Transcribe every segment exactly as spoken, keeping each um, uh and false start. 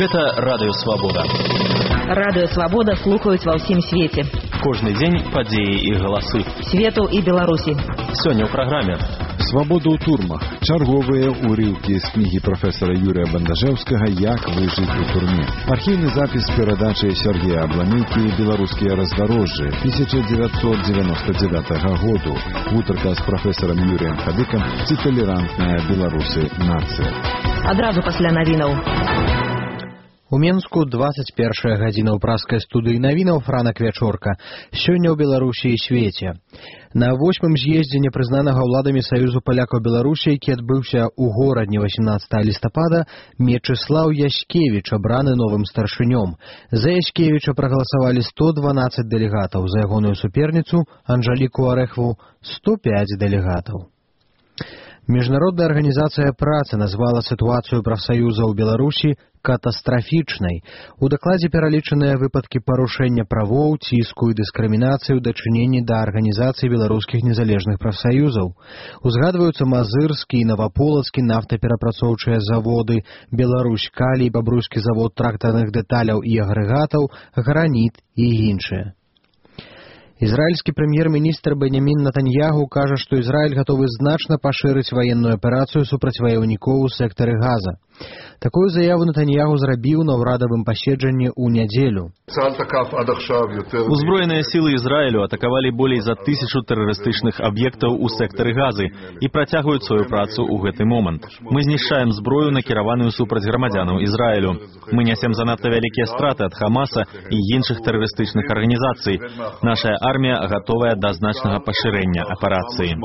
Гэта Радыё Свабода. Радыё Свабода слухаюць ва ўсім свеце. Кожны дзень падзеі і галасы. Свету і Беларусі. Сёння ў праграме. Свабода ў турмах. Чарговыя ўрыўкі з кнігі прафесара Юрыя Бандажэўскага «Як выжыць у турме». Архіўны запіс перадачы Сергея Абламейкі «Беларускія раздарожжы» тысяча девятьсот девяносто девятого году. Гутарка з прафесарам Юрыем Хадыкам «Ці талерантная беларусы нацыя». Адразу пасля навінаў. У Менску двадцать першая гадзіна ў праскай студыі навінаў Франак Вячорка. Сёння ў Беларусі і свеце. На восьмым з'ездзе непрызнанага ўладамі Саюзу палякаў Беларусі, які адбыўся ў горадні восемнадцатага лістапада, Мечыслаў Яськевіч абраны новым старшынём. За Яськевіча прагаласавалі сто дванаццаць дэлегатаў, за ягоную суперніцу Анжаліку Арэхву сто пяць дэлегатаў. Міжнародная арганізацыя працы назвала сітуацыю прафсаюза ў Беларусі катастрафічнай. У дакладзе пералічаныя выпадкі парушэння правоў, ціску і дыскрымінацыі ў дачыненні да арганізацыі беларускіх незалежных прафсаюзаў. Узгадваюцца Мазырскі і Наваполацкі нафтаперапрацоўчыя заводы, Беларусь Калій, Бабруйскі завод трактарных дэталяў і агрэгатаў, Граніт і іншыя. Ізраільскі прэм'ер-міністр Бенямін Натаньягу кажа, што Ізраіль гатовы значна пашырыць ваенную аперацыю супраць ваяўнікоў у сектары Газа. Такую заяву Натаньягу зрабіў на ўрадавым паседжанні ў нядзелю. Узброеныя сілы Ізраілю атакавалі болей за тысячу тэрарыстычных аб'ектаў у сектары Газы і працягваюць сваю працу ў гэты момант. Мы знішчаем зброю, накіраваную супраць грамадзянаў Ізраілю. Мы нясем занадта вялікія страты ад Хамаса і іншых тэрарыстычных арганізацый. Нашая армія гатовая да значнага пашырэння аперацыі.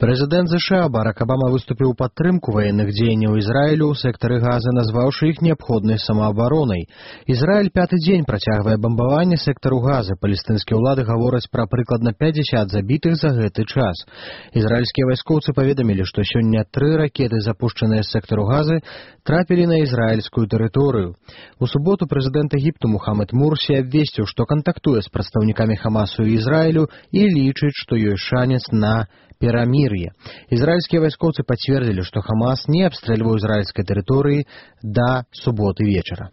Прэзідэнт ЗША Барак Абама выступіў у падтрымку ваенных дзеянняў Ізраілю ў сектары Газа, назваўшы іх неабходнай самаабаронай. Ізраіль пяты дзень працягвае бамбаванне сектару Газа. Палестынскія ўлады гавораць пра прыкладна пятьдесят забітых за гэты час. Ізраільскія вайскоўцы паведамілі, што сёння тры ракеты, запушчаныя з сектару Газы, трапілі на ізраільскую тэрыторыю. У суботу прэзідэнт Егіпту Мухаммед Мурсі абвесціў, што кантактуе з прадстаўнікамі Хамасу і Ізраілю і лічыць, што ёсць шанец на перамір'е. Ізраільскія вайскоўцы пацвердзілі, што Хамас не абстрэльваў ізраільскай тэрыторыі да суботы вечара.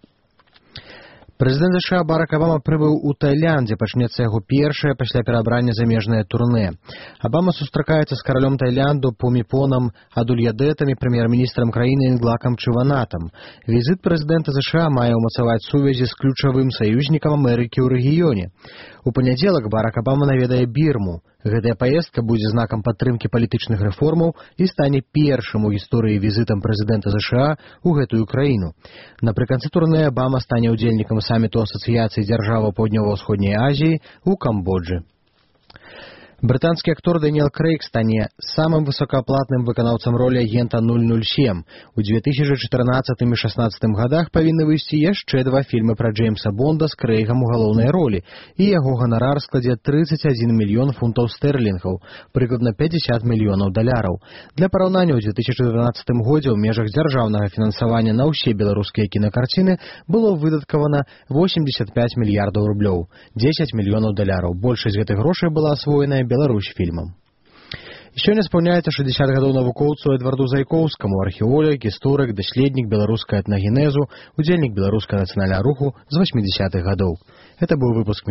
Прэзідэнт ЗША Барак Абама прыбыў у Таіланд, дзе пачнецца яго першае пасля перабрання замежнае турнэ. Абама сустракаецца з каралём Таіланду Пуміпонам Адульядэтам і прэм'ер-міністрам краіны Інглакам Чыванатам. Візіт прэзідэнта ЗША мае ўмацаваць сувязі з ключавым саюзнікам Амерыкі ў рэгіёне. У панядзелак Барак Абама наведае Бірму. Гэтая паездка будзе знакам падтрымкі палітычных рэформаў і стане першым у гісторыі візітам прэзідэнта ЗША ў гэтую краіну. Напрыканцы турнэ Абама стане ўдзельнікам саміту Асацыяцыі дзяржаваў Паўднёва-ўсходняй Азіі ў Камбоджы. Брытанскі актор Дэніэл Крэйг стане самым высокааплатным выканаўцам ролі агента нуль нуль сем. У две тысячи чатырнаццатым і шаснаццатым гадах павінны выйсці яшчэ два фільмы пра Джеймса Бонда з Крэйгам у галоўнай ролі, і яго ганарар складзе тридцать один мільён фунтаў стэрлінгаў, прыкладна пятьдесят мільёнаў даляраў. Для параўнання, у две тысячи дванаццатым годзе ў межах дзяржаўнага фінансавання на ўсе беларускія кінакарціны было выдаткавана восемьдесят пять мільярдаў рублёў, десять мільёнаў даляраў. Большасць гэтых грошай была асвоеная Беларусь фільмам. Сёння спаўняецца шэсцьдзесят гадоў навукоўцу Эдварду Зайкоўскаму, археолог, гісторык, даследнік беларускай этнагенезу, удзельнік беларускага нацыянальнага руху з восьмідзесятых гадоў. Это быў выпуск